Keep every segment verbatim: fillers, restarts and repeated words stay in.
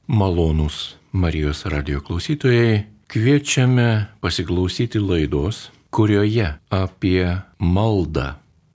Malonūs Marijos radijo klausytojai, kviečiame pasiklausyti laidos, kurioje apie maldą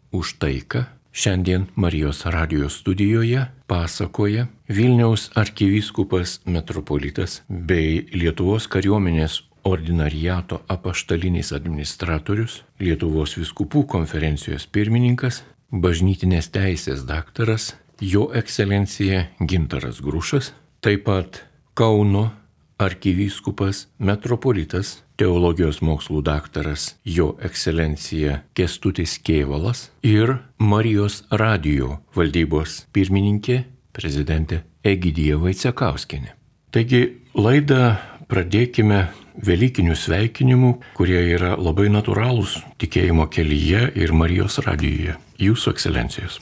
už taiką šiandien Marijos radijo studijoje pasakoja Vilniaus arkivyskupas metropolitas bei Lietuvos kariuomenės ordinariato apaštalinis administratorius, Lietuvos vyskupų konferencijos pirmininkas, bažnytinės teisės daktaras, jo ekscelencija Gintaras Grušas, taip pat Kauno arkivyskupas metropolitas, teologijos mokslų daktaras, jo ekscelencija Kęstutis Kėvalas ir Marijos radijo valdybos pirmininkė, prezidentė Egidija Vaicekauskienė. Taigi laidą pradėkime velykinių sveikinimų, kurie yra labai natūralūs tikėjimo kelyje ir Marijos radijoje. Jūsų ekscelencijos.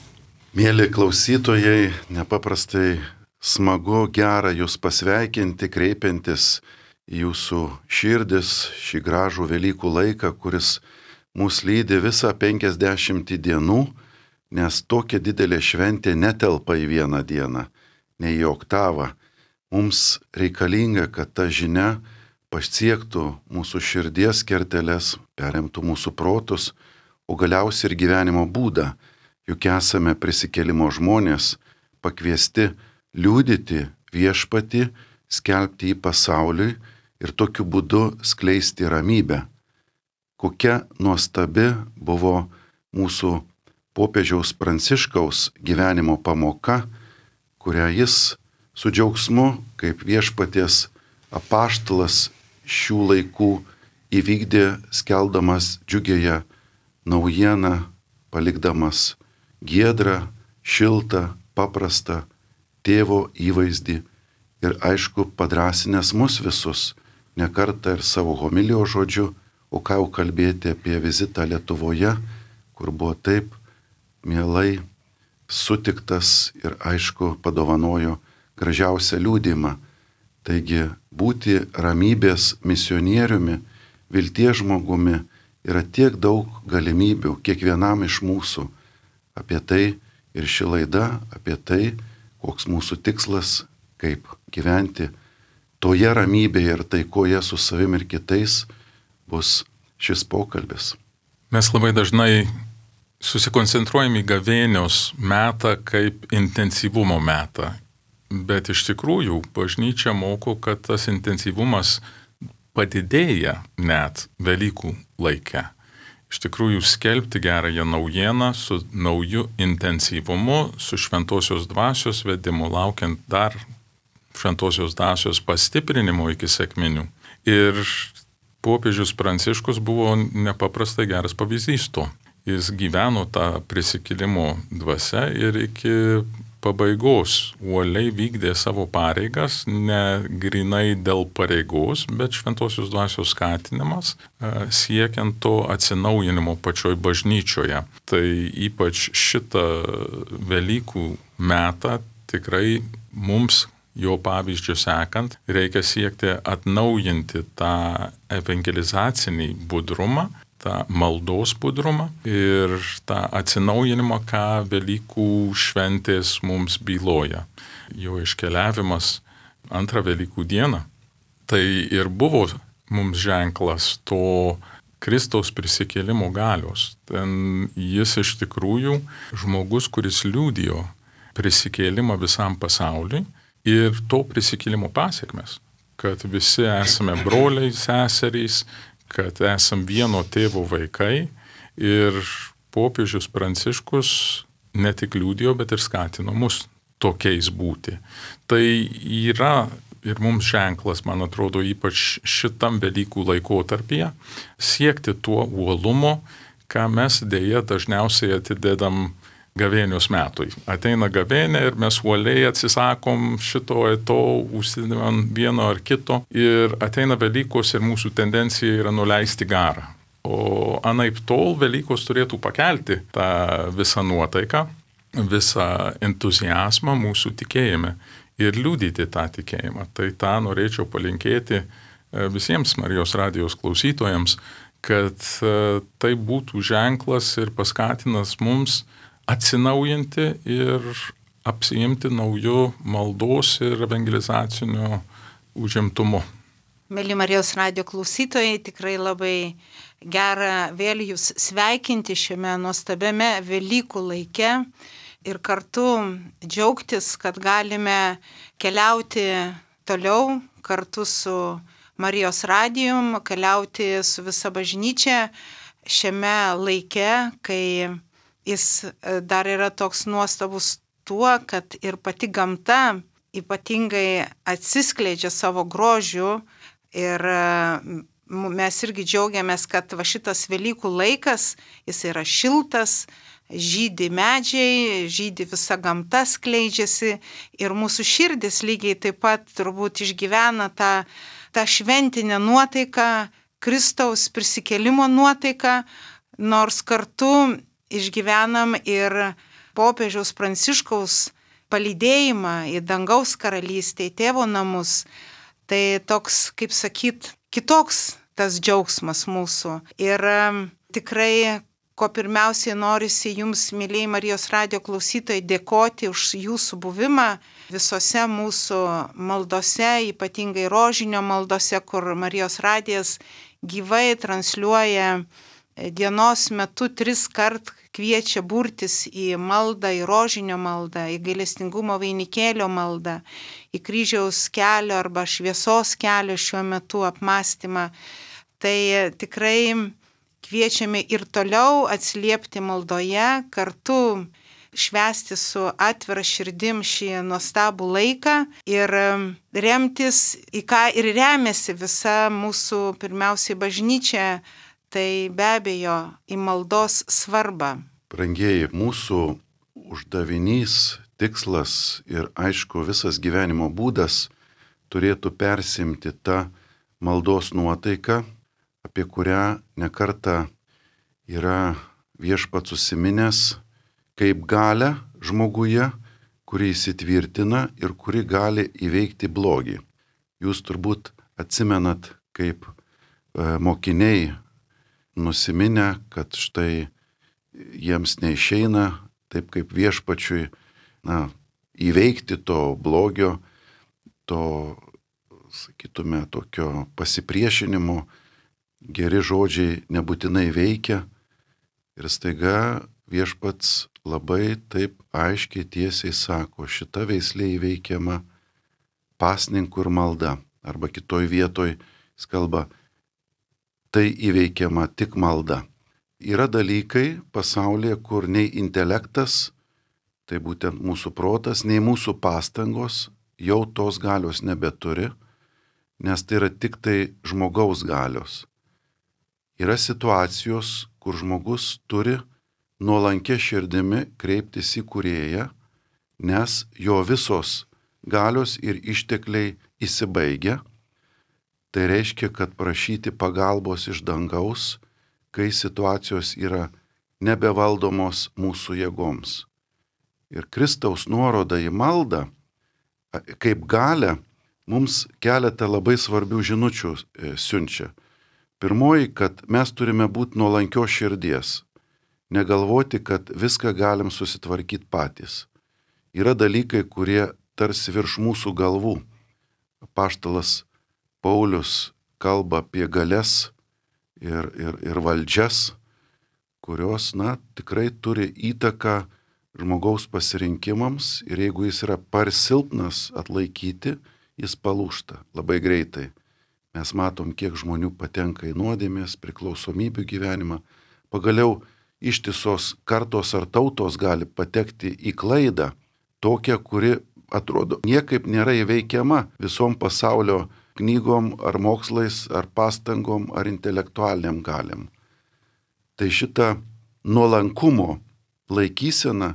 Mėly klausytojai, nepaprastai smagu, gera jūs pasveikinti, kreipiantis į jūsų širdis šį gražų Velykų laiką, kuris mus lydi visą penkiasdešimtį dienų, nes tokia didelė šventė netelpa į vieną dieną, ne į oktavą. Mums reikalinga, kad ta žinia pasiektų mūsų širdies kerteles, perimtų mūsų protus, o galiausiai ir gyvenimo būdą, juk esame prisikėlimo žmonės, pakviesti liudyti viešpatį, skelbti į pasauliui ir tokiu būdu skleisti ramybę. Kokia nuostabi buvo mūsų popiežiaus Pranciškaus gyvenimo pamoka, kurią jis su džiaugsmu, kaip viešpaties apaštalas šių laikų įvykdė, skeldamas džiugėje naujieną, palikdamas giedrą, šiltą, paprastą tėvo įvaizdį ir aišku padrąsinęs mus visus, ne kartą ir savo homilijos žodžiu, o ką jau kalbėti apie vizitą Lietuvoje, kur buvo taip mielai sutiktas ir aišku padovanojo gražiausią liudijimą. Taigi būti ramybės misionieriumi, vilties žmogumi yra tiek daug galimybių kiekvienam iš mūsų. Apie tai ir ši laida, apie tai, koks mūsų tikslas, kaip gyventi toje ramybėje ir taikoje su savim ir kitais, bus šis pokalbis. Mes labai dažnai susikoncentruojame į gavėnios metą kaip intensyvumo metą, bet iš tikrųjų bažnyčia moko, kad tas intensyvumas padidėja net Velykų laike. Iš tikrųjų skelbti gerąją naujieną su nauju intensyvumu, su šventosios dvasios vedimu, laukiant dar šventosios dvasios pastiprinimo iki sekminių. Ir popiežius Pranciškus buvo nepaprastai geras pavyzdys to. Jis gyveno tą prisikėlimo dvasią ir iki pabaigos uoliai vykdė savo pareigas, ne grinai dėl pareigos, bet šventosios dvasios skatinimas, siekiant to atsinaujinimo pačioj bažnyčioje. Tai ypač šitą Velykų metą tikrai mums, jo pavyzdžių sekant, reikia siekti atnaujinti tą evangelizacinį budrumą, tą maldos budrumą ir tą atsinaujinimą, ką Velykų šventės mums byloja. Jo iškeliavimas antrą Velykų dieną, tai ir buvo mums ženklas to Kristaus prisikėlimo galios. Ten jis iš tikrųjų žmogus, kuris liudijo prisikėlimą visam pasauliui ir to prisikėlimo pasiekmes, kad visi esame broliai, seserys, kad esam vieno tėvo vaikai ir popiežius Pranciškus ne tik liudijo, bet ir skatino mus tokiais būti. Tai yra ir mums ženklas, man atrodo, ypač šitam Velykų laikotarpyje, siekti tuo uolumo, ką mes dėja dažniausiai atidedam gavėnios metui. Ateina gavėnė ir mes uoliai atsisakom šito, to, užsidedam vieno ar kito ir ateina Velykos ir mūsų tendencija yra nuleisti garą. O anaip tol Velykos turėtų pakelti tą visą nuotaiką, visą entuziazmą mūsų tikėjime ir liudyti tą tikėjimą. Tai tą norėčiau palinkėti visiems Marijos radijos klausytojams, kad tai būtų ženklas ir paskatinas mums atsinaujinti ir apsiimti naujų maldos ir evangelizacinių užimtumų. Mėly Marijos radijo klausytojai, tikrai labai gera vėl jūs sveikinti šiame nuostabiame Velykų laike ir kartu džiaugtis, kad galime keliauti toliau kartu su Marijos radijum, keliauti su visa bažnyčia šiame laike, kai jis dar yra toks nuostabus tuo, kad ir pati gamta ypatingai atsiskleidžia savo grožiu ir mes irgi džiaugiamės, kad va šitas Velykų laikas, jis yra šiltas, žydi medžiai, žydi visa gamta, skleidžiasi ir mūsų širdis lygiai taip pat turbūt išgyvena tą, tą šventinę nuotaiką, Kristaus prisikėlimo nuotaiką, nors kartu išgyvenam ir popiežiaus Pranciškaus palydėjimą į dangaus karalystę, į tėvo namus. Tai toks, kaip sakyt, kitoks tas džiaugsmas mūsų. Ir tikrai, ko pirmiausiai norisi jums, mėlyjei Marijos radijo klausytojai, dėkoti už jūsų buvimą visose mūsų maldose, ypatingai rožinio maldose, kur Marijos radijas gyvai transliuoja dienos metu tris kart kviečia burtis į maldą, į rožinio maldą, į gailestingumo vainikėlio maldą, į kryžiaus kelio arba šviesos kelio šiuo metu apmąstymą. Tai tikrai kviečiame ir toliau atsiliepti maldoje, kartu švęsti su atvira širdim šį nuostabų laiką ir remtis, į ką ir remiasi visa mūsų pirmiausiai bažnyčia, tai be abejo į maldos svarbą. Brangieji, mūsų uždavinys, tikslas ir aišku visas gyvenimo būdas turėtų persimti tą maldos nuotaiką, apie kurią nekartą yra Viešpats užsiminęs kaip galią žmoguje, kuri įsitvirtina ir kuri gali įveikti blogį. Jūs turbūt atsimenat, kaip e, mokiniai nusiminę, kad štai jiems neišeina taip kaip Viešpačiui na, įveikti to blogio, to, sakytume, tokio pasipriešinimo, geri žodžiai nebūtinai veikia ir staiga Viešpats labai taip aiškiai tiesiai sako, šita veislė įveikiama pasninku ir malda, arba kitoj vietoj jis kalba, tai įveikiama tik malda. Yra dalykai pasaulyje, kur nei intelektas, tai būtent mūsų protas, nei mūsų pastangos jau tos galios nebeturi, nes tai yra tik tai žmogaus galios. Yra situacijos, kur žmogus turi nuolankia širdimi kreiptis į Kūrėją, nes jo visos galios ir ištekliai įsibaigia. Tai reiškia, kad prašyti pagalbos iš dangaus, kai situacijos yra nebevaldomos mūsų jėgoms. Ir Kristaus nuoroda į maldą, kaip galią, mums keletą labai svarbių žinučių siunčia. Pirmoji, kad mes turime būti nuolankios širdies, negalvoti, kad viską galim susitvarkyti patys. Yra dalykai, kurie tarsi virš mūsų galvų. Apaštalas Paulius kalba apie galias ir, ir, ir valdžias, kurios, na, tikrai turi įtaką žmogaus pasirinkimams ir jeigu jis yra per silpnas atlaikyti, jis palūžta labai greitai. Mes matom, kiek žmonių patenka į nuodėmės, priklausomybių gyvenimą. Pagaliau ištisos kartos ar tautos gali patekti į klaidą, tokią, kuri atrodo niekaip nėra įveikiama visom pasaulio knygom ar mokslais, ar pastangom, ar intelektualiniam galiam. Tai šita nuolankumo laikysena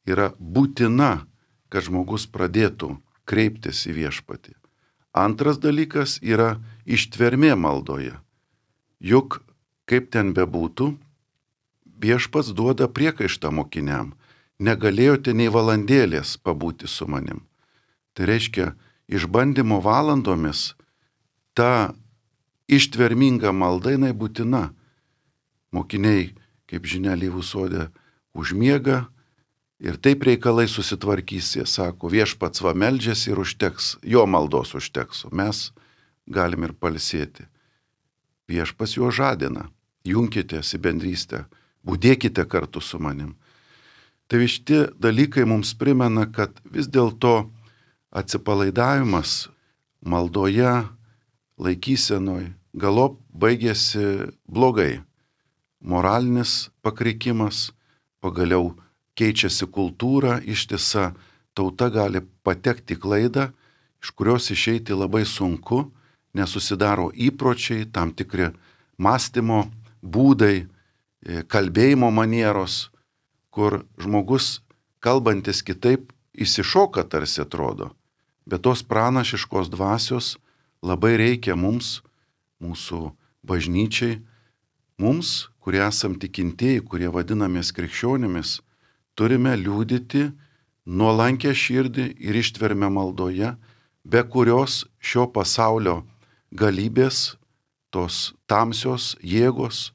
yra būtina, kad žmogus pradėtų kreiptis į Viešpatį. Antras dalykas yra ištvermė maldoje. Juk, kaip ten bebūtų, Viešpats duoda priekaištą mokiniam. Negalėjote nei valandėlės pabūti su manim. Tai reiškia, išbandymo valandomis ta ištverminga malda jinai būtina. Mokiniai, kaip žinia, alyvų sode užmiega, ir taip reikalai susitvarkys, jie sako, viešpats va meldžiasi ir užteks, jo maldos užteks, o mes galim ir palsėti. Viešpats juo žadina, junkitės į bendrystę, būdėkite kartu su manim. Tai šitie dalykai mums primena, kad vis dėlto atsipalaidavimas maldoje, laikysenoj, galop baigėsi blogai. Moralinis pakrikimas, pagaliau keičiasi kultūra, ištisa tauta gali patekti į klaidą, iš kurios išeiti labai sunku, nes susidaro įpročiai, tam tikri mąstymo būdai, kalbėjimo manieros, kur žmogus kalbantis kitaip įsišoka tarsi atrodo, bet tos pranašiškos dvasios labai reikia mums, mūsų bažnyčiai, mums, kurie esam tikintieji, kurie vadinamės krikščionimis, turime liudyti nuolankę širdį ir ištvermę maldoje, be kurios šio pasaulio galybės, tos tamsios jėgos,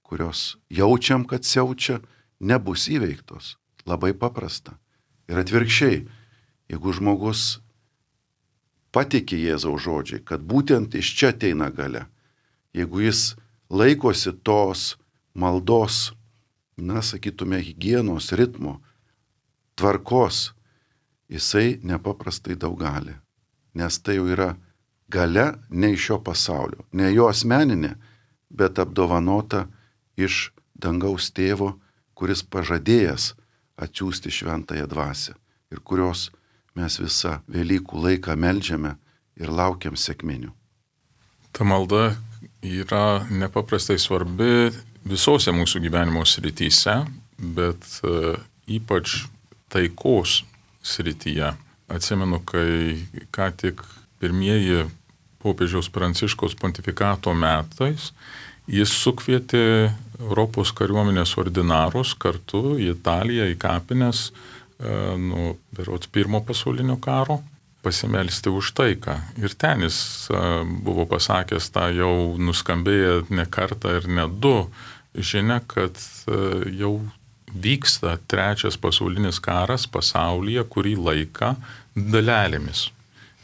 kurios jaučiam, kad siaučia, nebus įveiktos. Labai paprasta. Ir atvirkščiai, jeigu žmogus patikė Jėzaus žodžiai, kad būtent iš čia ateina galia, jeigu jis laikosi tos maldos, na, sakytume, higienos, ritmo, tvarkos, jisai nepaprastai daug gali. Nes tai jau yra galia ne iš šio pasaulio, ne jo asmeninė, bet apdovanota iš dangaus tėvo, kuris pažadėjęs atsiųsti šventąją dvasią ir kurios mes visą Velykų laiką meldžiame ir laukiam sekminių. Ta malda yra nepaprastai svarbi visose mūsų gyvenimo srityse, bet uh, ypač taikos srityje. Atsimenu, kai ką tik pirmieji popiežiaus Pranciškaus pontifikato metais jis sukvietė Europos kariuomenės ordinarus kartu į Italiją, į kapines uh, nuo berods pirmo pasaulinio karo pasimelsti už taiką. Ir ten jis uh, buvo pasakęs tą jau nuskambėję ne kartą ir ne du žinia, kad uh, jau vyksta trečias pasaulinis karas pasaulyje, kurį laiką dalelėmis.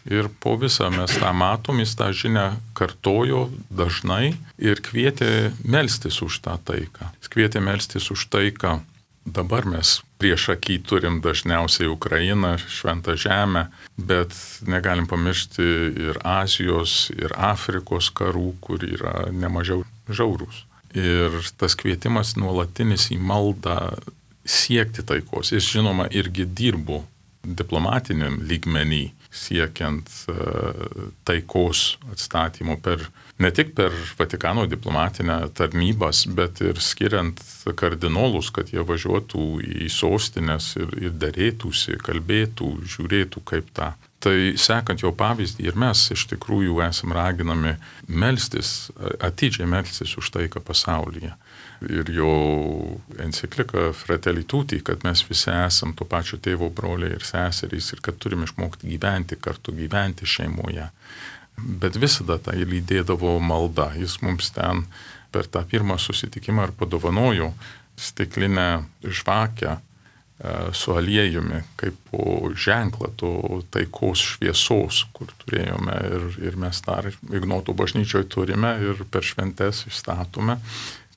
Ir po visą mes tą matom, jis tą žinią kartojo dažnai ir kvietė melstis už tą taiką. Jis kvietė melstis už taiką. Dabar mes prieš akį turim dažniausiai Ukrainą, Šventą Žemę, bet negalim pamiršti ir Azijos, ir Afrikos karų, kur yra nemažiau žiaurūs. Ir tas kvietimas nuolatinis į maldą siekti taikos. Jis, žinoma, irgi dirbo diplomatiniam lygmenį, siekiant uh, taikos atstatymo per, ne tik per Vatikano diplomatinę tarnybas, bet ir skiriant kardinolus, kad jie važiuotų į sostinės ir, ir derėtųsi, kalbėtų, žiūrėtų kaip tą. Tai sekant jo pavyzdį ir mes iš tikrųjų esam raginami melstis, atidžiai melstis už taiką pasaulyje. Ir jo enciklika Fratelli Tutti, kad mes visi esam to pačio tėvo broliai ir seserys ir kad turime išmokti gyventi kartu, gyventi šeimoje. Bet visada tai lydėdavo malda. Jis mums ten per tą pirmą susitikimą ir padovanojo stiklinę žvakę su aliejumi, kaip po ženklą to taikos šviesos, kur turėjome ir, ir mes dar Ignoto bažnyčioje turime ir per šventes išstatome,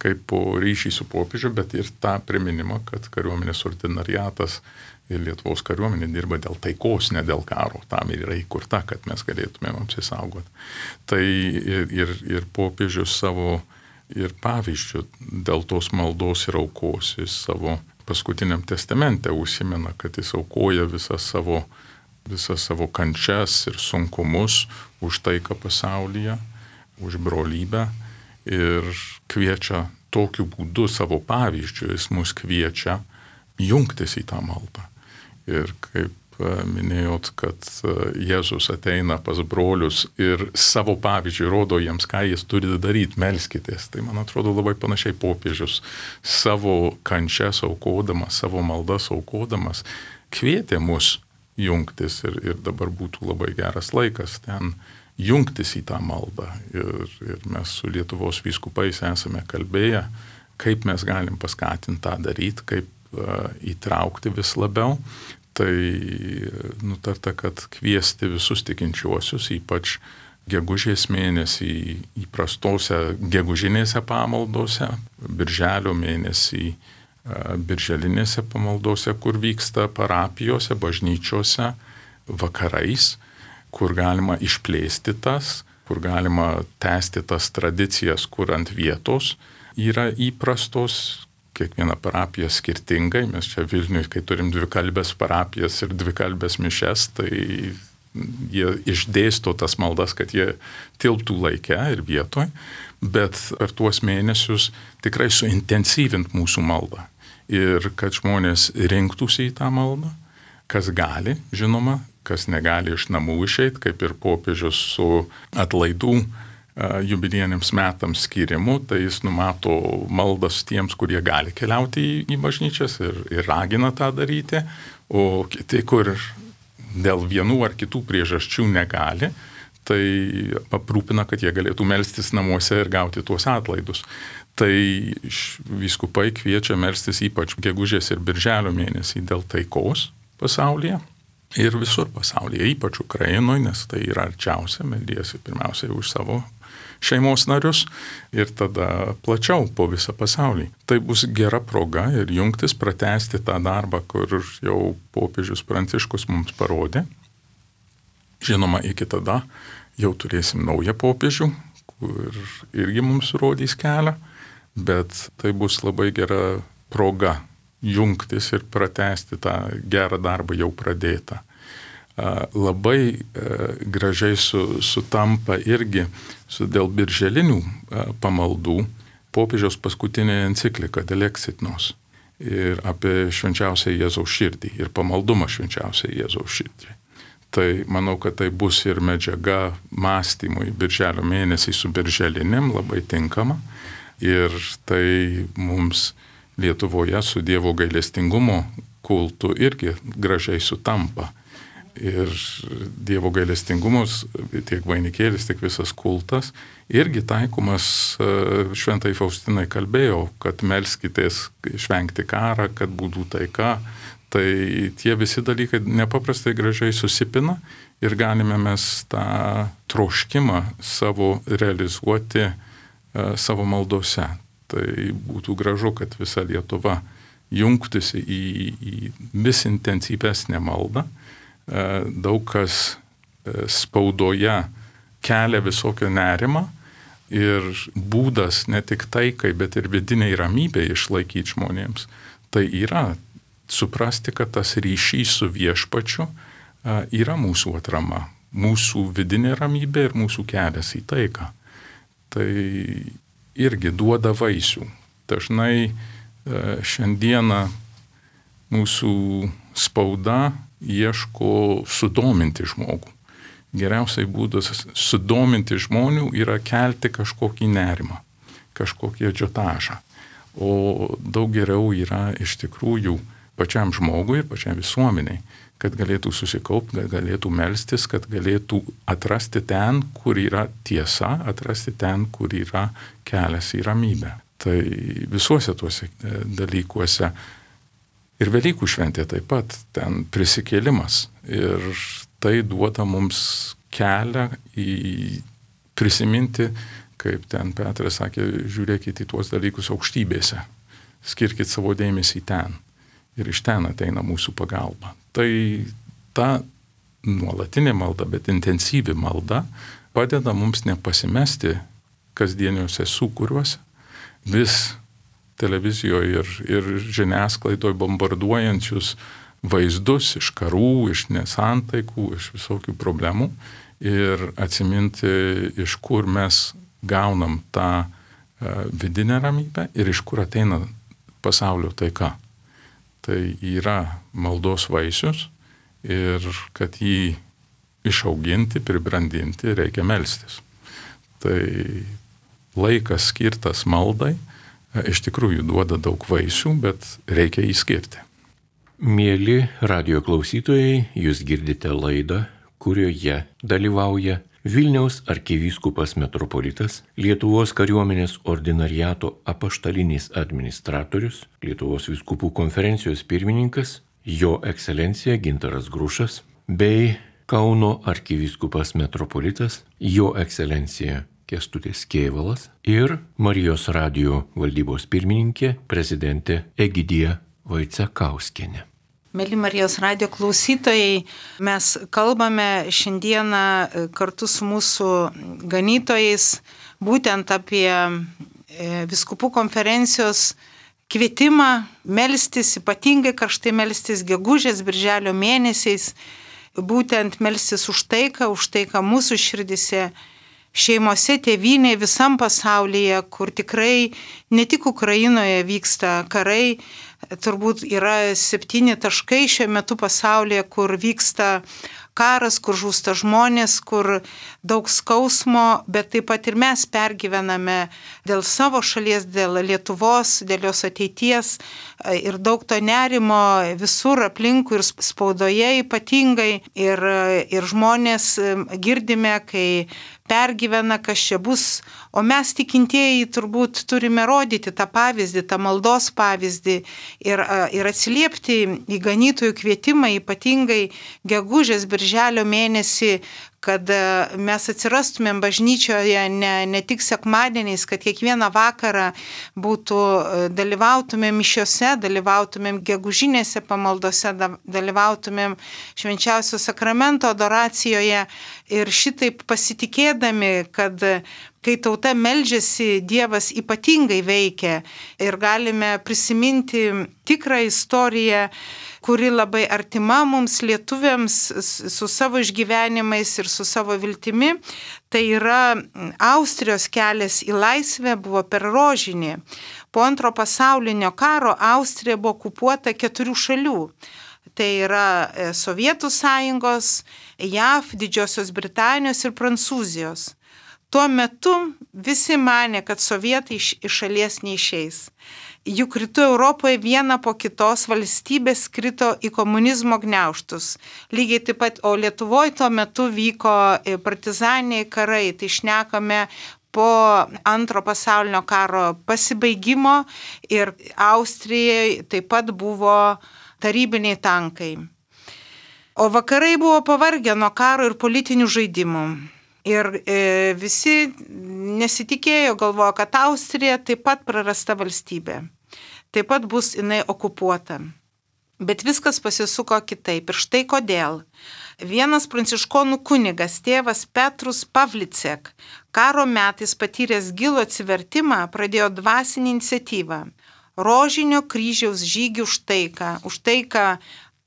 kaip po ryšį su popiežiu, bet ir tą priminimą, kad kariuomenės ordinariatas ir Lietuvos kariuomenė dirba dėl taikos, ne dėl karo. Tam ir yra įkurta, kad mes galėtumėm apsisaugoti. Tai ir, ir, ir popiežius savo ir pavyzdžių dėl tos maldos ir aukos, jis savo paskutiniam testamente užsimena, kad jis aukoja visas savo, visas savo kančias ir sunkumus už taiką pasaulyje, už brolybę ir kviečia tokiu būdu savo pavyzdžiu, jis mus kviečia jungtis į tą maldą. Ir kaip minėjot, kad Jėzus ateina pas brolius ir savo pavyzdžiui rodo jiems, ką jis turi daryti, melskitės. Tai man atrodo labai panašiai popiežius savo kančias aukodamas, savo maldas aukodamas, kvietė mus jungtis ir, ir dabar būtų labai geras laikas ten jungtis į tą maldą. Ir, ir mes su Lietuvos vyskupais esame kalbėję, kaip mes galim paskatinti tą daryti, kaip įtraukti vis labiau. Tai nutarta, kad kviesti visus tikinčiuosius, ypač gegužės mėnesį įprastose gegužinėse pamaldose, birželio mėnesį birželinėse pamaldose, kur vyksta parapijose, bažnyčiose, vakarais, kur galima išplėsti tas, kur galima tęsti tas tradicijas, kur ant vietos yra įprastos, kiekviena parapija skirtingai. Mes čia Vilniuje, kai turim dvikalbės parapijas ir dvikalbės mišes, tai jie išdėsto tas maldas, kad jie tilptų laike ir vietoj, bet per tuos mėnesius tikrai suintensyvint mūsų maldą ir kad žmonės rinktųsi į tą maldą, kas gali, žinoma, kas negali iš namų išeiti, kaip ir popiežius su atlaidų jubiliejiniams metams skirimu, tai jis numato maldas tiems, kurie gali keliauti į, į bažnyčias ir, ir ragina tą daryti, o kiti, kur dėl vienų ar kitų priežasčių negali, tai aprūpina, kad jie galėtų melstis namuose ir gauti tuos atlaidus. Tai vyskupai kviečia melstis ypač gegužės ir birželio mėnesį dėl taikos pasaulyje ir visur pasaulyje, ypač Ukrainoje, nes tai yra arčiausia, meldiesi pirmiausiai už savo šeimos narius ir tada plačiau po visą pasaulį. Tai bus gera proga ir jungtis, pratęsti tą darbą, kur jau popiežius Pranciškus mums parodė. Žinoma, iki tada jau turėsim naują popiežių, kur irgi mums rodys kelią, bet tai bus labai gera proga jungtis ir pratęsti tą gerą darbą jau pradėtą. Labai gražiai su, sutampa irgi su dėl birželinių pamaldų popiežiaus paskutinė enciklika Dėl Exitnos ir apie švenčiausią Jėzaus širdį ir pamaldumą švenčiausią Jėzaus širdį. Tai manau, kad tai bus ir medžiaga mąstymui birželio mėnesį su birželiniam labai tinkama ir tai mums Lietuvoje su Dievo gailestingumo kultu irgi gražiai sutampa. Ir Dievo gailestingumus, tiek vainikėlis, tiek visas kultas, irgi taikomas, šventai Faustinai kalbėjo, kad melskitės išvengti karą, kad būtų taika. Tai tie visi dalykai nepaprastai gražiai susipina ir galime mes tą troškimą savo realizuoti savo maldose. Tai būtų gražu, kad visa Lietuva jungtųsi į, į vis intensyvesnę maldą. Daug kas spaudoje kelia visokio nerimą ir būdas ne tik taikai, bet ir vidiniai ramybė išlaikyti žmonėms. Tai yra suprasti, kad tas ryšys su viešpačiu yra mūsų atrama, mūsų vidinė ramybė ir mūsų kelias į taiką. Tai irgi duoda vaisių. Dažnai šiandieną mūsų spauda ieško sudominti žmogų. Geriausiai būdas sudominti žmonių yra kelti kažkokį nerimą, kažkokį adžiotažą. O daug geriau yra iš tikrųjų pačiam žmogui ir pačiam visuomeniai, kad galėtų susikaupti, kad galėtų melstis, kad galėtų atrasti ten, kur yra tiesa, atrasti ten, kur yra kelias į ramybę. Tai visuose tuose dalykuose ir Velykų šventė taip pat, ten prisikėlimas. Ir tai duoda mums kelią į prisiminti, kaip ten Petras sakė, žiūrėkit į tuos dalykus aukštybėse, skirkit savo dėmesį ten. Ir iš ten ateina mūsų pagalba. Tai ta nuolatinė malda, bet intensyvi malda padeda mums nepasimesti kasdieniuose sūkuriuose, vis televizijoje ir, ir žiniasklaidoje bombarduojančius vaizdus iš karų, iš nesantaikų, iš visokių problemų ir atsiminti, iš kur mes gaunam tą vidinę ramybę ir iš kur ateina pasaulio taika. Tai yra maldos vaisius ir kad jį išauginti, pribrandinti, reikia melstis. Tai laikas skirtas maldai iš tikrųjų duoda daug vaisių, bet reikia jį skirti. Mieli radijo klausytojai, jūs girdite laidą, kurioje dalyvauja Vilniaus arkivyskupas metropolitas, Lietuvos kariuomenės ordinariato apaštalinis administratorius, Lietuvos vyskupų konferencijos pirmininkas, jo ekscelencija Gintaras Grušas, bei Kauno arkivyskupas metropolitas, jo ekscelencija Kęstutis Kėvalas ir Marijos radijo valdybos pirmininkė, prezidentė Egidija Vaicekauskienė. Mėly Marijos radijo klausytojai, mes kalbame šiandieną kartu su mūsų ganytojais būtent apie vyskupų konferencijos kvietimą melstis, ypatingai karštai melstis gegužės, birželio mėnesiais, būtent melstis už taiką, už taiką mūsų širdise, šeimose, tėvynėje, visam pasaulyje, kur tikrai ne tik Ukrainoje vyksta karai, turbūt yra septyni taškai šiuo metu pasaulyje, kur vyksta karas, kur žūsta žmonės, kur daug skausmo, bet taip pat ir mes pergyvename dėl savo šalies, dėl Lietuvos, dėl jos ateities ir daug to nerimo visur aplinkui ir spaudoje ypatingai ir, ir žmonės girdime, kai pergyvena, kas čia bus, o mes tikintieji turbūt turime rodyti tą pavyzdį, tą maldos pavyzdį ir, ir atsiliepti į ganytojų kvietimą, ypatingai gegužės, birželio mėnesį, kad mes atsirastumėm bažnyčioje ne, ne tik sekmadieniais, kad kiekvieną vakarą būtų, dalyvautumėm mišiose, dalyvautumėm gegužinėse pamaldose, dalyvautumėm švenčiausio sakramento adoracijoje ir šitaip pasitikėdami, kad kai tauta meldžiasi, Dievas ypatingai veikia ir galime prisiminti tikrą istoriją, kuri labai artima mums lietuviams su savo išgyvenimais ir su savo viltimi. Tai yra Austrijos kelias į laisvę buvo per rožinį. Po antro pasaulinio karo Austrija buvo okupuota keturių šalių. Tai yra Sovietų sąjungos, J A V, Didžiosios Britanijos ir Prancūzijos. Tuo metu visi manė, kad sovietai iš šalies neišeis. Juk rytų Europoje viena po kitos valstybės krito į komunizmo gniaužtus. Lygiai taip pat, o Lietuvoje tuo metu vyko partizaniniai karai, tai šnekame po antro pasaulinio karo pasibaigimo ir Austrijoje taip pat buvo tarybiniai tankai. O vakarai buvo pavargę nuo karo ir politinių žaidimų. Ir e, visi nesitikėjo, galvojo, kad Austrija taip pat prarasta valstybė. Taip pat bus jinai okupuota. Bet viskas pasisuko kitaip. Ir štai kodėl. Vienas pranciškonų kunigas, tėvas Petrus Pavlicek, karo metais patyręs gilų atsivertimą, pradėjo dvasinį iniciatyvą. Rožinio kryžiaus žygį už taiką. Už taiką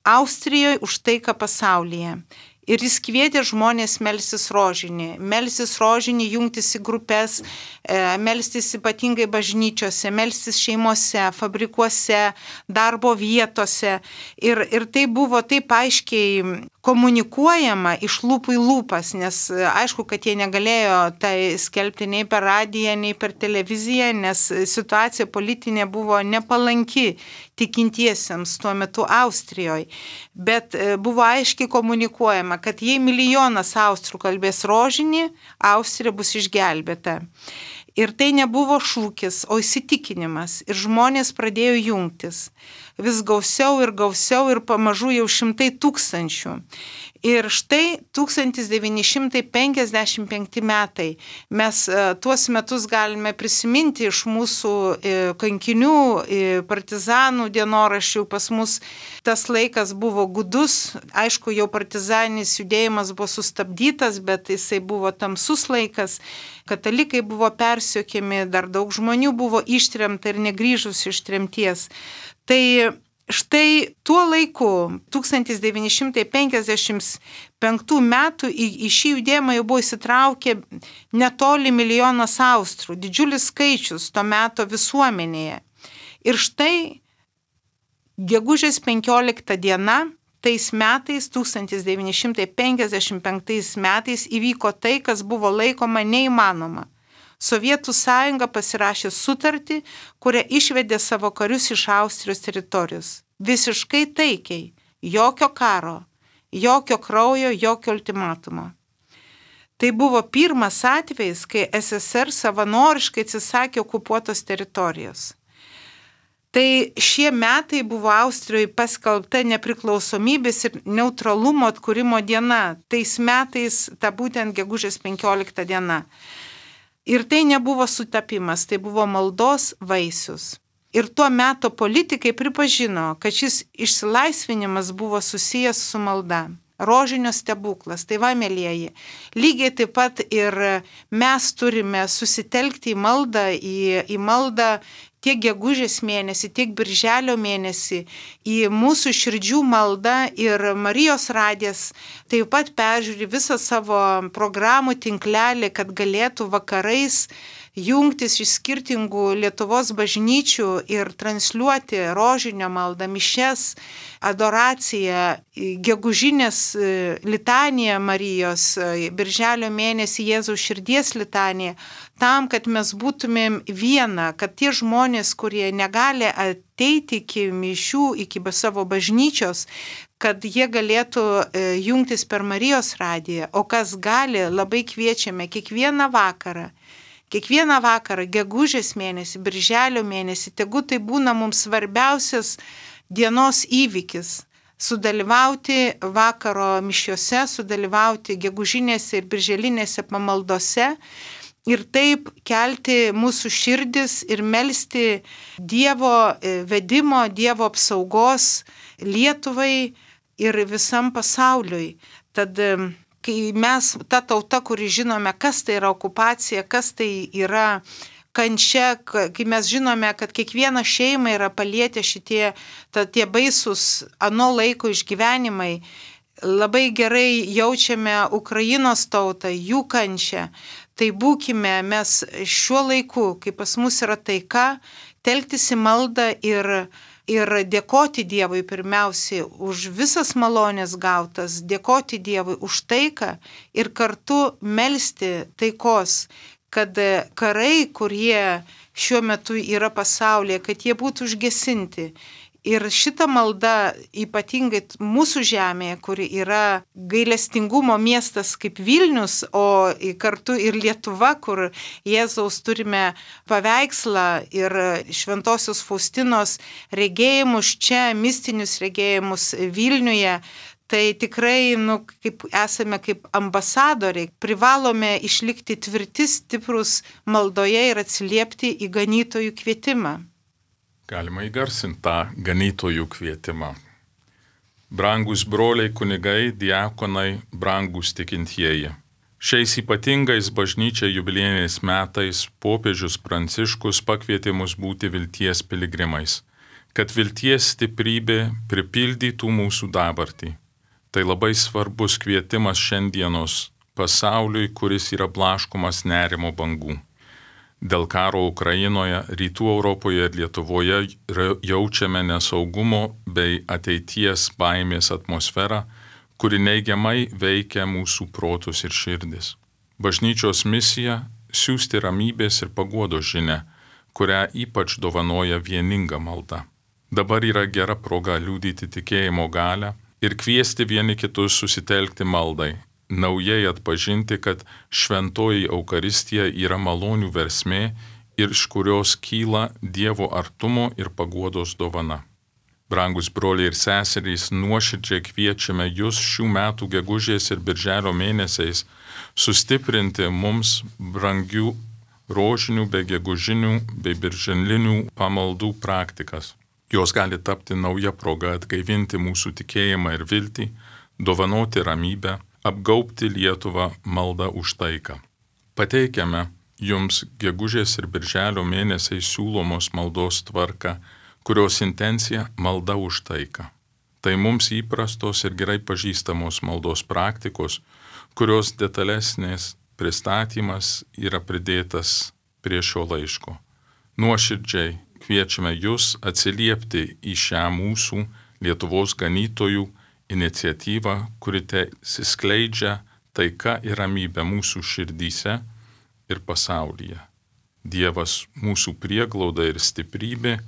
Austrijoje, už taiką pasaulyje. Ir jis kvietė žmonės melstis rožinį, melstis rožinį, jungtis į grupės, melstis ypatingai bažnyčiose, melstis šeimose, fabrikuose, darbo vietose. Ir, ir tai buvo taip aiškiai komunikuojama iš lūpų į lūpas, nes aišku, kad jie negalėjo tai skelbti nei per radiją, nei per televiziją, nes situacija politinė buvo nepalanki tikintiesiems tuo metu Austrijoje. Bet buvo aiškiai komunikuojama, kad jei milijonas austrų kalbės rožinį, Austrija bus išgelbėta. Ir tai nebuvo šūkis, o įsitikinimas. Ir žmonės pradėjo jungtis. Vis gausiau ir gausiau ir pamažu jau šimtai tūkstančių. Ir štai tūkstantis devyni šimtai penkiasdešimt penkti metai. Mes tuos metus galime prisiminti iš mūsų kankinių, partizanų dienoraščių. Pas mus tas laikas buvo gudus. Aišku, jau partizaninis judėjimas buvo sustabdytas, bet jisai buvo tamsus laikas. Katalikai buvo persekiami, dar daug žmonių buvo ištremta ir negrįžus iš tremties. Tai štai tuo laiku, tūkstantis devyni šimtai penkiasdešimt penktų metų, į, į šį judėjimą jau buvo įsitraukę netoli milijonas austrų, didžiulis skaičius to meto visuomenėje. Ir štai gegužės penkiolikta diena, tais metais, tūkstantis devyni šimtai penkiasdešimt penktais metais įvyko tai, kas buvo laikoma neįmanoma. Sovietų sąjunga pasirašė sutartį, kuria išvedė savo karius iš Austrijos teritorijos. Visiškai taikiai, jokio karo, jokio kraujo, jokio ultimatumo. Tai buvo pirmas atvejis, kai S S R savanoriškai atsisakė okupuotos teritorijos. Tai šie metai buvo Austrijoje paskelbta nepriklausomybės ir neutralumo atkūrimo diena. Tais metais ta būtent gegužės penkiolikta diena. Ir tai nebuvo sutapimas, tai buvo maldos vaisius. Ir tuo metu politikai pripažino, kad šis išsilaisvinimas buvo susijęs su malda. Rožinio stebuklas. Tai va, mėlyjeji, lygiai taip pat ir mes turime susitelkti į maldą, į, į maldą tiek gegužės mėnesį, tiek birželio mėnesį, į mūsų širdžių maldą, ir Marijos radijas taip pat peržiūri visą savo programų tinklelį, kad galėtų vakarais jungtis iš skirtingų Lietuvos bažnyčių ir transliuoti rožinio maldą, mišes, adoraciją, gegužinės litaniją Marijos, birželio mėnesį Jėzaus širdies litaniją, tam, kad mes būtumėm viena, kad tie žmonės, kurie negali ateiti iki mišių, iki savo bažnyčios, kad jie galėtų jungtis per Marijos radiją, o kas gali, labai kviečiame kiekvieną vakarą. Kiekvieną vakarą, gegužės mėnesį, birželio mėnesį, tegu tai būna mums svarbiausias dienos įvykis - sudalyvauti vakaro mišiuose, sudalyvauti gegužinėse ir birželinėse pamaldose ir taip kelti mūsų širdis ir melsti Dievo vedimo, Dievo apsaugos Lietuvai ir visam pasauliui. Tad kai mes, ta tauta, kuri žinome, kas tai yra okupacija, kas tai yra kančia, kai mes žinome, kad kiekvieną šeimą yra palietę šitie ta, tie baisus ano laiko išgyvenimai, labai gerai jaučiame Ukrainos tautą, jų kančią, tai būkime mes šiuo laiku, kai pas mus yra taika, telktis į maldą ir Ir dėkoti Dievui pirmiausiai už visas malonės gautas, dėkoti Dievui už taiką ir kartu melsti taikos, kad karai, kurie šiuo metu yra pasaulyje, kad jie būtų užgesinti. Ir šita malda, ypatingai mūsų žemėje, kuri yra gailestingumo miestas kaip Vilnius, o kartu ir Lietuva, kur Jėzaus turime paveikslą ir Šventosios Faustinos regėjimus čia, mistinius regėjimus Vilniuje, tai tikrai, nu, kaip esame kaip ambasadoriai, privalome išlikti tvirti, stiprus maldoje ir atsiliepti į ganytojų kvietimą. Galima įgarsinti tą ganytojų kvietimą. Brangus broliai kunigai, diakonai, brangus tikintieji. Šiais ypatingais bažnyčiai jubiliejiniais metais popiežius Pranciškus pakvietė mus būti vilties piligrimais, kad vilties stiprybė pripildytų mūsų dabartį. Tai labai svarbus kvietimas šiandienos pasauliui, kuris yra blaškomas nerimo bangų. Dėl karo Ukrainoje, Rytų Europoje ir Lietuvoje jaučiame nesaugumo bei ateities baimės atmosferą, kuri neigiamai veikia mūsų protus ir širdis. Bažnyčios misija - siųsti ramybės ir paguodos žinią, kurią ypač dovanoja vieninga malda. Dabar yra gera proga liudyti tikėjimo galią ir kviesti vieni kitus susitelkti maldai, naujai atpažinti, kad šventoji Eukaristija yra malonių versmė ir iš kurios kyla Dievo artumo ir paguodos dovana. Brangus broliai ir seserys, nuoširdžiai kviečiame jūs šių metų gegužės ir birželio mėnesiais sustiprinti mums brangių rožinių bei gegužinių bei birželinių pamaldų praktikas. Jos gali tapti nauja proga atgaivinti mūsų tikėjimą ir viltį, dovanoti ramybę, apgaubti Lietuvą maldą už taiką. Pateikiame jums gegužės ir birželio mėnesiai siūlomos maldos tvarką, kurios intencija malda už taiką. Tai mums įprastos ir gerai pažįstamos maldos praktikos, kurios detalesnės pristatymas yra pridėtas prie šio laiško. Nuoširdžiai kviečiame jūs atsiliepti į šią mūsų Lietuvos ganytojų iniciatyvą, kuri tesiskleidžia taika ir ramybė mūsų širdyse ir pasaulyje. Dievas mūsų prieglauda ir stiprybė,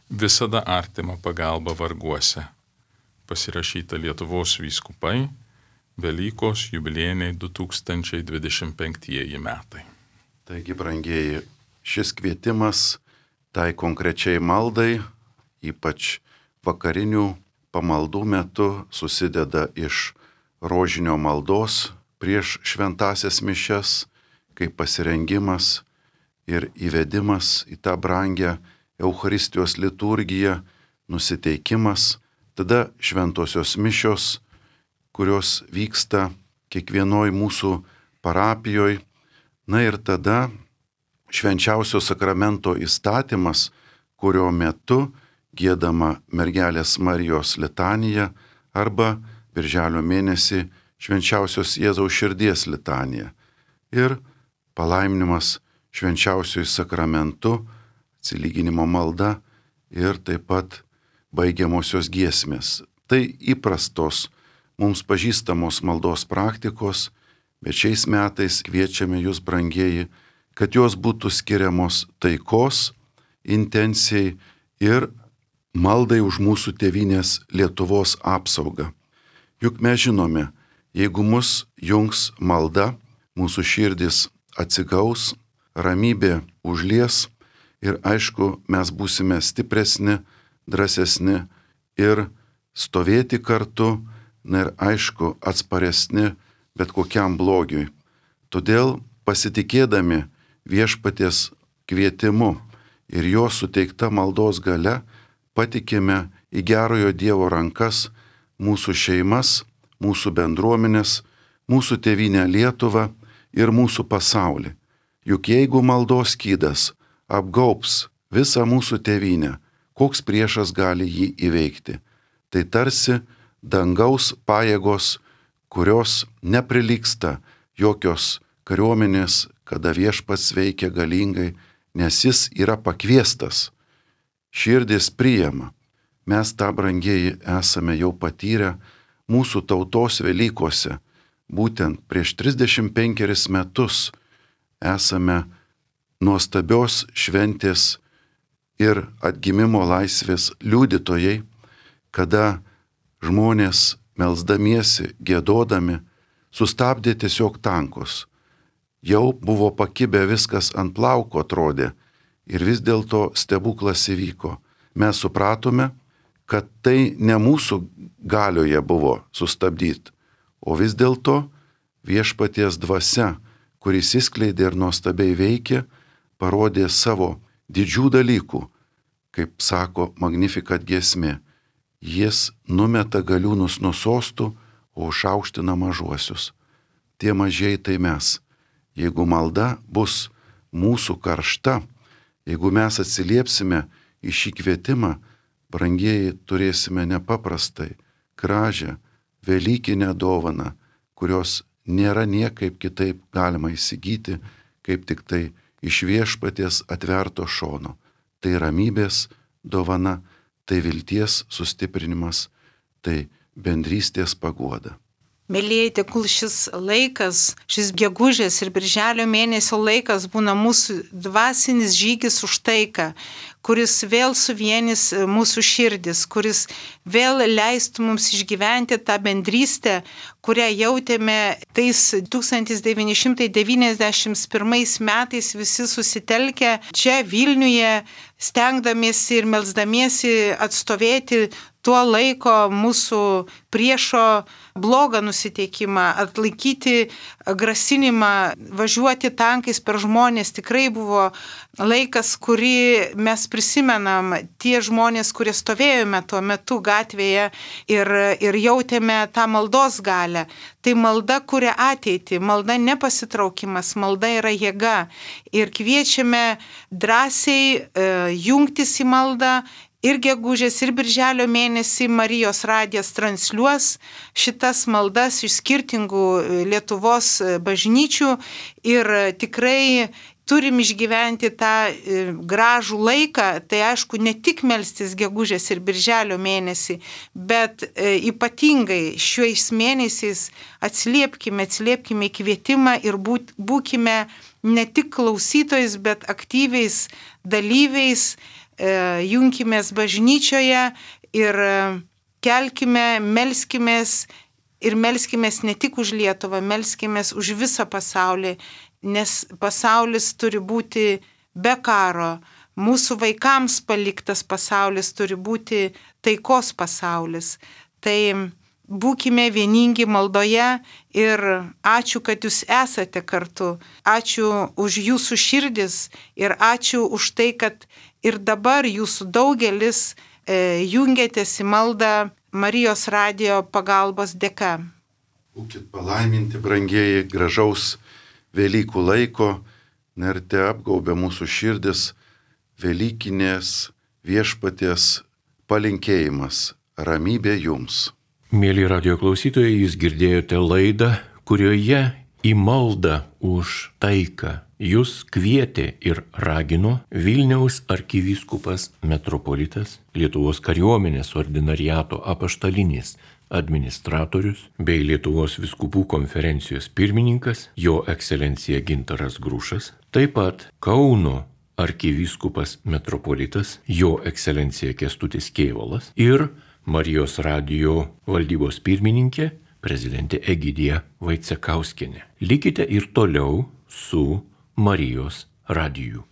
visada artima pagalba varguose. Pasirašyta Lietuvos vyskupai, Velykos jubiliejiniai du tūkstančiai dvidešimt penktieji metai. Taigi, brangieji, šis kvietimas tai konkrečiai maldai, ypač vakarinių pamaldų metu, susideda iš rožinio maldos prieš šventasias mišias, kaip pasirengimas ir įvedimas į tą brangią Eucharistijos liturgiją, nusiteikimas, tada šventosios mišios, kurios vyksta kiekvienoj mūsų parapijoje, na ir tada švenčiausio sakramento įstatymas, kurio metu giedama Mergelės Marijos litanija arba birželio mėnesį švenčiausios Jėzaus širdies litanija ir palaiminimas švenčiausiojų sakramentu, atsilyginimo malda ir taip pat baigiamosios giesmės. Tai įprastos mums pažįstamos maldos praktikos, bet šiais metais kviečiame jūs, brangieji, kad jos būtų skiriamos taikos intencijai ir maldai už mūsų tėvynės Lietuvos apsaugą. Juk mes žinome, jeigu mus jungs malda, mūsų širdis atsigaus, ramybė užlies ir aišku, mes būsime stipresni, drąsesni ir stovėti kartu, na ir aišku, atsparesni bet kokiam blogiui. Todėl pasitikėdami viešpaties kvietimu ir jo suteikta maldos galia, patikime į gerojo Dievo rankas mūsų šeimas, mūsų bendruomenės, mūsų tėvynę Lietuvą ir mūsų pasaulį. Juk jeigu maldos skydas apgaubs visą mūsų tėvynę, koks priešas gali jį įveikti? Tai tarsi dangaus pajėgos, kurios neprilygsta jokios kariuomenės, kada viešpats veikia galingai, nes jis yra pakviestas. Širdis priima. Mes tą, brangieji, esame jau patyrę mūsų tautos Velykose. Būtent prieš trisdešimt penkerius metus esame nuostabios šventės ir atgimimo laisvės liudytojai, kada žmonės melsdamiesi, giedodami, sustabdė tiesiog tankus. Jau buvo pakibę viskas ant plauko atrodė ir vis dėlto stebuklas įvyko. Mes supratome, kad tai ne mūsų galioje buvo sustabdyti, o vis dėlto viešpaties dvasia, kuris įskleidė ir nuostabiai veikė, parodė savo didžių dalykų, kaip sako Magnificat giesmė. Jis numeta galiūnus nuo sostų, o užaukština mažuosius. Tie mažieji tai mes. Jeigu malda bus mūsų karšta, jeigu mes atsiliepsime į šį kvietimą, brangieji, turėsime nepaprastai gražią velykinę dovaną, kurios nėra niekaip kitaip galima įsigyti, kaip tik tai iš viešpaties atverto šono. Tai ramybės dovana, tai vilties sustiprinimas, tai bendrystės paguoda. Mėlyjei, tegul šis laikas, šis gegužės ir birželio mėnesio laikas būna mūsų dvasinis žygis už taiką, kuris vėl suvienys mūsų širdis, kuris vėl leistų mums išgyventi tą bendrystę, kurią jautėme tais tūkstantis devyni šimtai devyniasdešimt pirmais metais visi susitelkę čia Vilniuje, stengdamiesi ir melsdamiesi atstovėti tuo laiko mūsų priešo blogą nusiteikimą, atlaikyti grasinimą, važiuoti tankais per žmonės. Tikrai buvo laikas, kurį mes prisimenam, tie žmonės, kurie stovėjome tuo metu gatvėje ir, ir jautėme tą maldos galę. Tai malda kuria ateitį, malda nepasitraukimas, malda yra jėga. Ir kviečiame drąsiai e, jungtis į maldą. Ir gegužės, ir birželio mėnesį Marijos radijas transliuos šitas maldas iš skirtingų Lietuvos bažnyčių ir tikrai turim išgyventi tą gražų laiką, tai aišku, ne tik melstis gegužės ir birželio mėnesį, bet ypatingai šiais mėnesiais atsiliepkime, atsiliepkime į kvietimą ir būt, būkime ne tik klausytojais, bet aktyviais dalyviais, junkimės bažnyčioje ir kelkime, melskimės Ir melskimės ne tik už Lietuvą, melskimės už visą pasaulį, nes pasaulis turi būti be karo. Mūsų vaikams paliktas pasaulis turi būti taikos pasaulis. Tai būkime vieningi maldoje ir ačiū, kad jūs esate kartu. Ačiū už jūsų širdis ir ačiū už tai, kad ir dabar jūsų daugelis e, jungiatės į maldą Marijos radijo pagalbos dėka. Būkit palaiminti, brangieji, gražaus Velykų laiko, ir te apgaubė mūsų širdis Velykinės viešpaties palinkėjimas. Ramybė jums. Mėly radio klausytojai, jūs girdėjote laidą, kurioje į maldą už taiką jūs kvietė ir ragino Vilniaus arkivyskupas metropolitas, Lietuvos kariuomenės ordinariato apaštalinis administratorius bei Lietuvos vyskupų konferencijos pirmininkas, jo ekscelencija Gintaras Grušas, taip pat Kauno arkivyskupas metropolitas, jo ekscelencija Kęstutis Kėvalas ir Marijos radijo valdybos pirmininkė, prezidentė Egidija Vaicekauskienė. Likite ir toliau su Marijos radiju.